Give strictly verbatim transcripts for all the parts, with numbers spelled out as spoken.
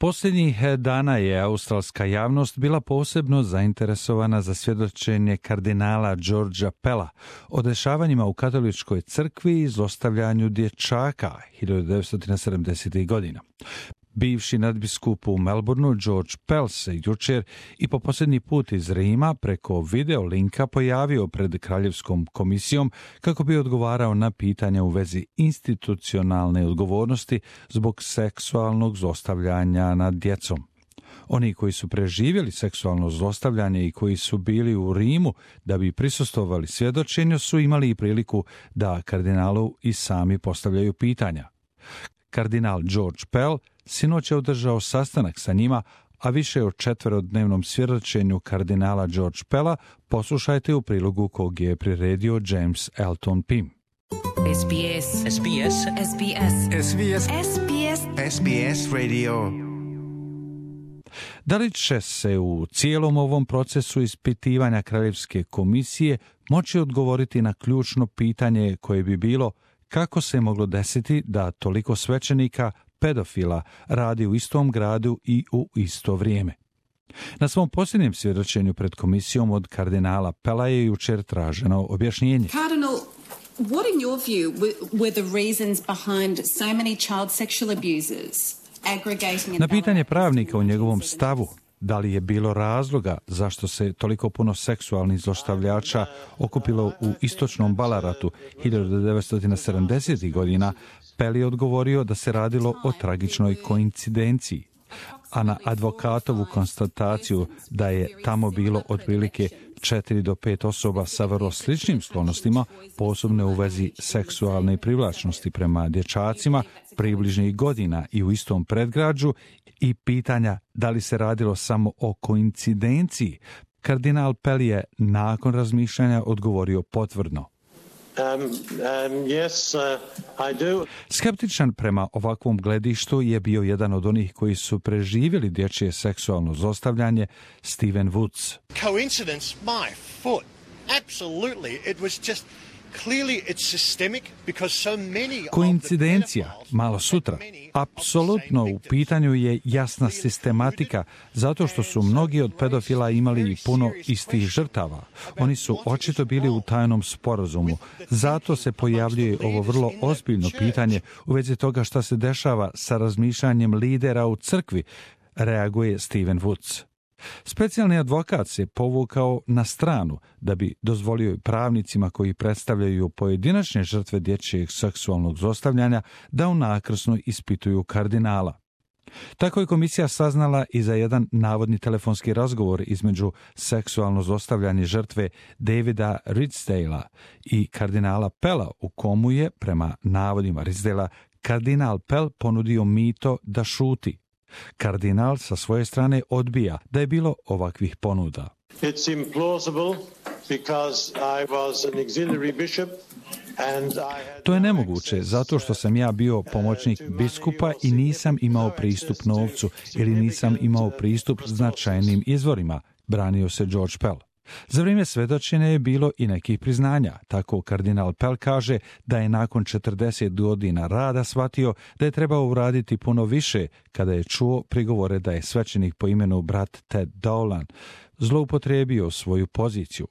Posljednjih dana je australska javnost bila posebno zainteresovana za svjedočenje kardinala Georgea Pella o dešavanjima u katoličkoj crkvi i zlostavljanju dječaka hiljadu devetsto sedamdesetih godina. Bivši nadbiskup u Melbourneu George Pell se jučer i po posljednji put iz Rima preko video linka pojavio pred Kraljevskom komisijom kako bi odgovarao na pitanja u vezi institucionalne odgovornosti zbog seksualnog zlostavljanja nad djecom. Oni koji su preživjeli seksualno zlostavljanje i koji su bili u Rimu da bi prisustvovali svjedočenju su imali i priliku da kardinalu i sami postavljaju pitanja. Kardinal George Pell sinoć je održao sastanak sa njima, a više o četverodnevnom svjedočenju kardinala George Pella poslušajte u prilogu kog je priredio James Elton Pym. S B S. S B S. S B S. S B S. S B S. S B S Radio. Da li će se u cijelom ovom procesu ispitivanja Kraljevske komisije moći odgovoriti na ključno pitanje koje bi bilo kako se moglo desiti da toliko svećenika pedofila radi u istom gradu i u isto vrijeme? Na svom posljednjem svjedočenju pred komisijom od kardinala Pella je jučer traženo objašnjenje. Cardinal, what in your view were the reasons behind so many child sexual abusers aggregating in Na pitanje pravnika u njegovom stavu, da li je bilo razloga zašto se toliko puno seksualnih zlostavljača okupilo u istočnom Ballaratu hiljadu devetsto sedamdesetih godina, Pell je odgovorio da se radilo o tragičnoj koincidenciji, a na advokatovu konstataciju da je tamo bilo otprilike četiri do pet osoba sa vrlo sličnim sklonostima, posebno u vezi seksualne privlačnosti prema dječacima, približnih godina i u istom predgrađu, i pitanja da li se radilo samo o koincidenciji, kardinal Pell je nakon razmišljanja odgovorio potvrdno. Um, um, yes, uh, I do. Skeptičan prema ovakvom gledištu je bio jedan od onih koji su preživjeli dječje seksualno zlostavljanje, Stephen Woods. Coincidence, my foot. Absolutely, it was just clearly it's systemic because so many. Koincidencija, malo sutra. Apsolutno u pitanju je jasna sistematika, zato što su mnogi od pedofila imali i puno istih žrtava. Oni su očito bili u tajnom sporazumu. Zato se pojavljuje ovo vrlo ozbiljno pitanje u vezi toga šta se dešava sa razmišljanjem lidera u crkvi, reaguje Stephen Woods. Specijalni advokat se povukao na stranu da bi dozvolio pravnicima koji predstavljaju pojedinačne žrtve dječjeg seksualnog zlostavljanja da unakrsno ispituju kardinala. Tako je komisija saznala i za jedan navodni telefonski razgovor između seksualno zlostavljanje žrtve Davida Ridsdalea i kardinala Pella, u komu je, prema navodima Ridsdalea, kardinal Pell ponudio mito da šuti. Kardinal sa svoje strane odbija da je bilo ovakvih ponuda. It's implausible because I was an auxiliary bishop and I had To je nemoguće zato što sam ja bio pomoćnik biskupa i nisam imao pristup novcu ili nisam imao pristup značajnim izvorima, branio se George Pell. Za vrijeme svjedočenja je bilo i nekih priznanja. Tako kardinal Pell kaže da je nakon četrdeset godina rada shvatio da je trebao uraditi puno više kada je čuo prigovore da je svećenik po imenu brat Ted Dolan zloupotrijebio svoju poziciju.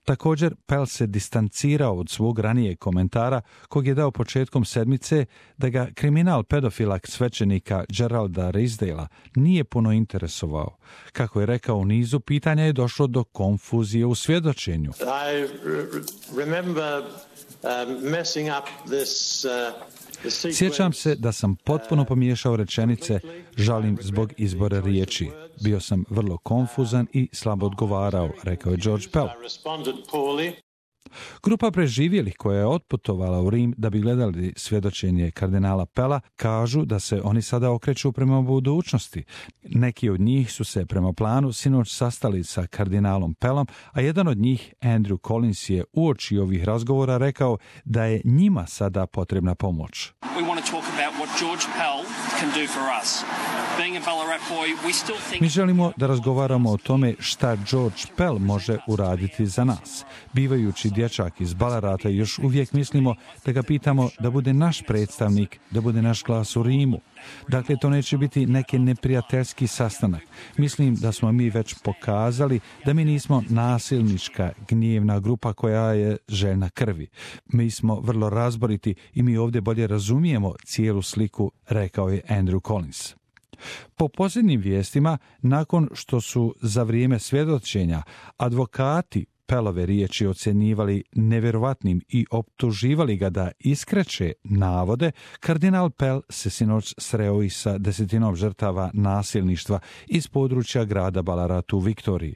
Također, Pell se distancirao od svog ranijeg komentara kog je dao početkom sedmice da ga kriminal pedofila svećenika Geralda Ridsdalea nije puno interesovao. Kako je rekao u nizu pitanja je došlo do konfuzije u svjedočenju. I remember um, messing up this uh, Sjećam se da sam potpuno pomiješao rečenice, žalim zbog izbora riječi. Bio sam vrlo konfuzan i slabo odgovarao, rekao je George Pell. Grupa preživjelih koja je otputovala u Rim da bi gledali svjedočenje kardinala Pella kažu da se oni sada okreću prema budućnosti. Neki od njih su se prema planu sinoć sastali sa kardinalom Pellom, a jedan od njih, Andrew Collins, je uoči ovih razgovora rekao da je njima sada potrebna pomoć. We want to talk about what George Pell can do for us. Being a Ballarat boy, we still think... Mi želimo da razgovaramo o tome šta George Pell može uraditi za nas. Bivajući dječak iz Ballarata, još uvijek mislimo da ga pitamo da bude naš predstavnik, da bude naš glas u Rimu. Dakle, to neće biti neki neprijateljski sastanak. Mislim da smo mi već pokazali da mi nismo nasilnička, gnjevna grupa koja je željna krvi. Mi smo vrlo razboriti i mi ovdje bolje razumijemo cijelu sliku, rekao je Andrew Collins. Po posljednjim vijestima, nakon što su za vrijeme svjedočenja advokati Pellove riječi ocjenjivali nevjerovatnim i optuživali ga da iskreće navode, kardinal Pell se sinoć sreo i sa desetinom žrtava nasilništva iz područja grada Ballarat u Viktoriji.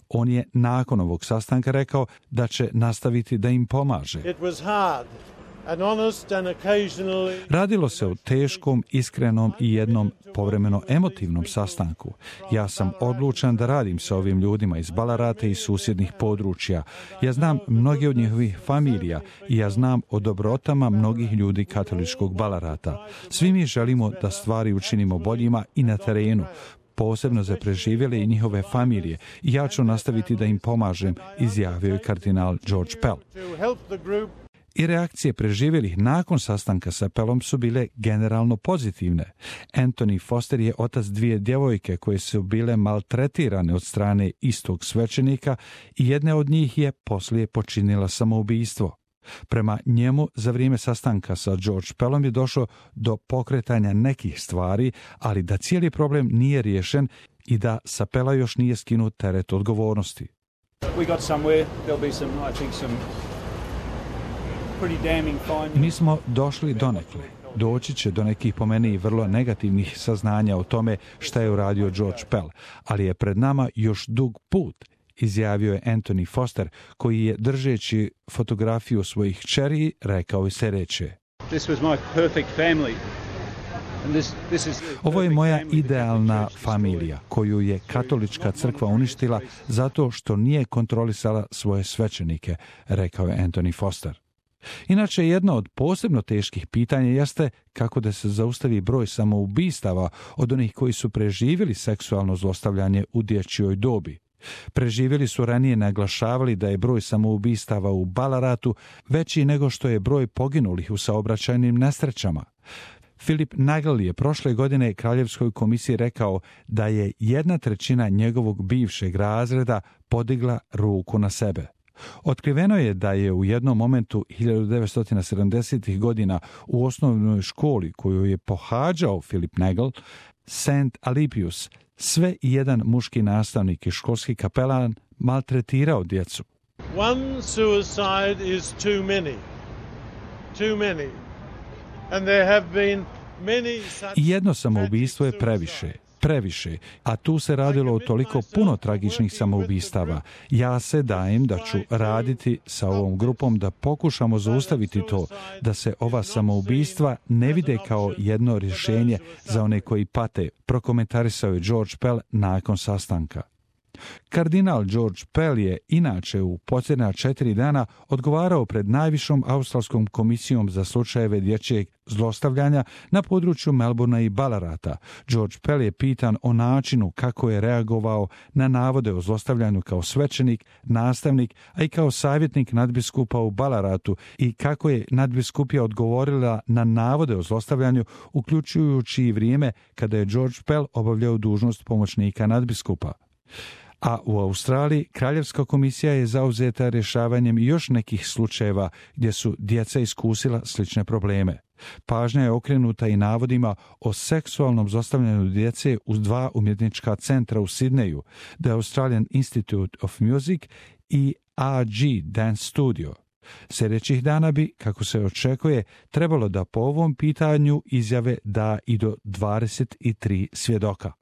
On je nakon ovog sastanka rekao da će nastaviti da im pomaže. It was hard. Radilo se o teškom, iskrenom i jednom povremeno emotivnom sastanku. Ja sam odlučan da radim sa ovim ljudima iz Ballarata i susjednih područja. Ja znam mnoge od njihovih familija i ja znam o dobrotama mnogih ljudi katoličkog Ballarata. Svi mi želimo da stvari učinimo boljima i na terenu, posebno za preživjele i njihove familije. I ja ću nastaviti da im pomažem, izjavio je kardinal George Pell. I reakcije preživjelih nakon sastanka sa Pellom su bile generalno pozitivne. Anthony Foster je otac dvije djevojke koje su bile maltretirane od strane istog svećenika i jedna od njih je poslije počinila samoubistvo. Prema njemu, za vrijeme sastanka sa George Pellom je došlo do pokretanja nekih stvari, ali da cijeli problem nije riješen i da sa Pella još nije skinut teret odgovornosti. We got somewhere. There'll be some, I think, some Mi smo došli donekle. Doći će do nekih po meni vrlo negativnih saznanja o tome šta je uradio George Pell, ali je pred nama još dug put, izjavio je Anthony Foster, koji je, držeći fotografiju svojih kćeri, rekao i sljedeće. This was my perfect family. This, this is Ovo je moja idealna familija, koju je katolička crkva uništila zato što nije kontrolisala svoje svećenike, rekao je Anthony Foster. Inače, jedno od posebno teških pitanja jeste kako da se zaustavi broj samoubistava od onih koji su preživjeli seksualno zlostavljanje u dječjoj dobi. Preživjeli su ranije naglašavali da je broj samoubistava u Ballaratu veći nego što je broj poginulih u saobraćajnim nesrećama. Philip Nagel je prošle godine Kraljevskoj komisiji rekao da je jedna trećina njegovog bivšeg razreda podigla ruku na sebe. Otkriveno je da je u jednom momentu hiljadu devetsto sedamdesetih godina u osnovnoj školi koju je pohađao Philip Nagel, Saint Alipius, sve i jedan muški nastavnik i školski kapelan maltretirao djecu. One suicide is too many. Too many. And there have been many such I jedno samoubistvo je previše. Previše, a tu se radilo o toliko puno tragičnih samoubistava. Ja se dajem da ću raditi sa ovom grupom da pokušamo zaustaviti to, da se ova samoubistva ne vide kao jedno rješenje za one koji pate, prokomentarisao je George Pell nakon sastanka. Kardinal George Pell je inače u posljednja četiri dana odgovarao pred najvišom australskom komisijom za slučajeve dječjeg zlostavljanja na području Melbournea i Ballarata. George Pell je pitan o načinu kako je reagovao na navode o zlostavljanju kao svećenik, nastavnik, a i kao savjetnik nadbiskupa u Ballaratu i kako je nadbiskupija odgovorila na navode o zlostavljanju, uključujući i vrijeme kada je George Pell obavljao dužnost pomoćnika nadbiskupa. A u Australiji Kraljevska komisija je zauzeta rješavanjem još nekih slučajeva gdje su djeca iskusila slične probleme. Pažnja je okrenuta i navodima o seksualnom zlostavljanju djece uz dva umjetnička centra u Sidneju, The Australian Institute of Music i A G Dance Studio. Sljedećih dana bi, kako se očekuje, trebalo da po ovom pitanju izjave da i do dvadeset tri svjedoka.